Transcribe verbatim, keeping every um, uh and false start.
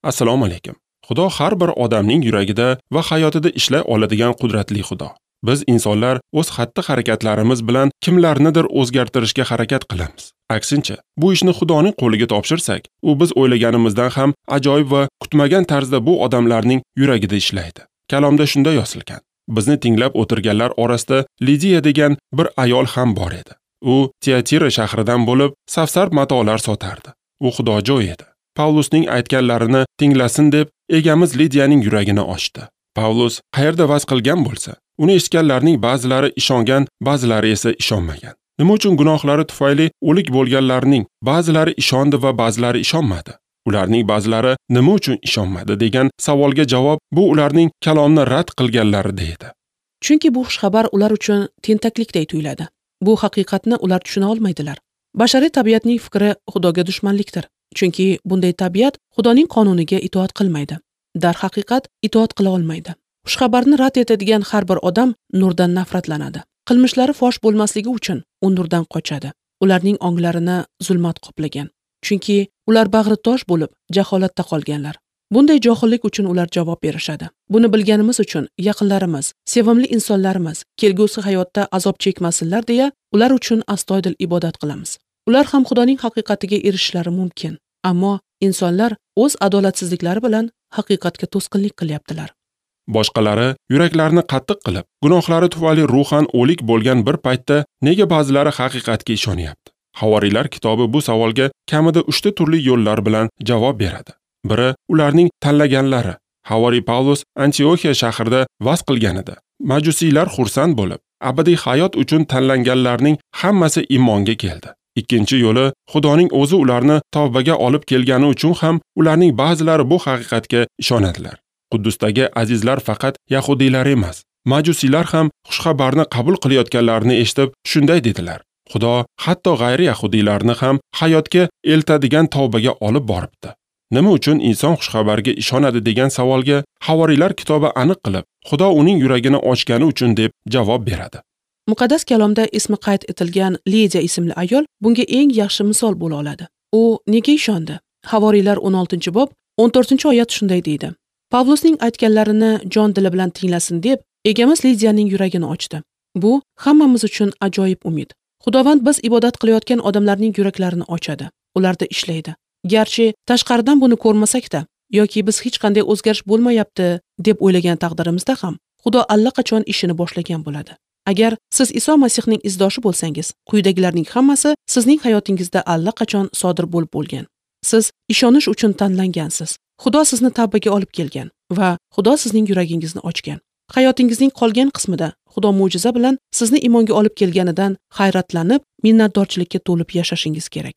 Assalomu alaykum. Xudo har bir odamning yuragida va hayotida ishlay oladigan qudratli Xudo. Biz insonlar o'z xatti-harakatlarimiz bilan kimlarnidir o'zgartirishga harakat qilamiz. Aksincha, bu ishni Xudoning qo'liga topshirsak, u biz o'ylaganimizdan ham ajoyib va kutmagan tarzda bu odamlarning yuragida ishlaydi. Kalomda shunday yozilgan. Bizni tinglab o'tirganlar orasida Lidiya degan bir ayol ham bor edi. U Tiatira shahridan bo'lib, safsar matolar sotardi. U xudojo'y edi. Pavlusning aytganlarini tinglasin deb egamiz Lidiyaning yuragini ochdi. Pavlus qayerda vaz qilgan bo'lsa, uni eshitganlarning ba'zilari ishongan, ba'zilari esa ishonmagan. Nima uchun gunohlari tufayli o'lik bo'lganlarning ba'zilari ishondi va ba'zilari ishonmadi? Ularning ba'zilari nima uchun ishonmadi degan savolga javob bu ularning kalomni rad qilganlarida edi. Chunki bu xushxabar ular uchun tentaklikday tuyuladi. Bu haqiqatni ular tushuna olmaydilar. Bashariy tabiatning fikri Xudoga dushmanlikdir. Chunki bunday tabiat Xudoning qonuniga itoat qilmaydi. Darhaqiqat itoat qila olmaydi. Xushxabarni rad etadigan har bir odam nurdan nafratlanadi. Qilmishlari fosh bo'lmasligi uchun u nurdan qochadi. Ularning onglarini zulmat qoplagan. Chunki ular bag'ri tosh bo'lib jaholatda qolganlar. Bunday johillik uchun ular javob berishadi. Buni bilganimiz uchun yaqinlarimiz, sevimli insonlarimiz kelgusi hayotda azob chekmasinlar deya ular uchun astoydil ibodat qilamiz. Ular ham Xudoning haqiqatiga erishishlari mumkin. Ammo insonlar o'z adolatsizliklari bilan haqiqatga to'sqinlik qilyaptilar. Boshqalari yuraklarini qattiq qilib, gunohlari tufayli ruhan o'lik bo'lgan bir paytda nega ba'zilari haqiqatga ishonyapti? Havoriylar kitobi bu savolga kamida uchta turli yo'llar bilan javob beradi. Biri ularning tanlaganlari. Havoriy Pavlus Antioxiya shahrida vaz qilganida, majusiylar xursand bo'lib, abadiy hayot uchun tanlanganlarning hammasi iymonga keldi. Ikkinchi yo'li Xudoning o'zi ularni tavbaga olib kelgani uchun ham ularning ba'zilari bu haqiqatga ishonadilar. Quddusdagi azizlar faqat yahudiylar emas, majusiylar ham xushxabarni qabul qilayotganlarini eshitib shunday dedilar: Xudo hatto g'ayri yahudiylarni ham hayotga eltadigan tavbaga olib boribdi. Nima uchun inson xushxabarga ishonadi degan savolga Havoriylar kitobi aniq qilib, Xudo uning yuragini ochgani uchun deb javob beradi. Muqaddas kalomda ismi qayd etilgan Lidiya ismli ayol bunga eng yaxshi misol bo'la oladi. U nega ishondi? Havoriylar o'n oltinchi bob o'n to'rtinchi oyat shunday deydi: Pavlusning aytganlarini jon dili bilan tinglasin deb egamiz Lidiyaning yuragini ochdi. Bu hammamiz uchun ajoyib umid. Xudovand biz ibodat qilayotgan odamlarning yuraklarini ochadi, ularda ishlaydi. Garchi tashqaridan buni ko'rmasak-da yoki biz hech qanday o'zgarish bo'lmayapti deb o'ylagan taqdirimizda ham Xudo allaqachon ishini boshlagan bo'ladi. Agar siz Iso Masihning izdoshi bo'lsangiz, quyidagilarning hammasi sizning hayotingizda allaqachon sodir bo'lib bo'lgan. Siz ishonish uchun tanlangansiz. Xudo sizni tavbaga olib kelgan va Xudo sizning yuragingizni ochgan. Hayotingizning qolgan qismida Xudo mo'jiza bilan sizni iymonga olib kelganidan hayratlanib, minnatdorchilikka to'lib yashashingiz kerak.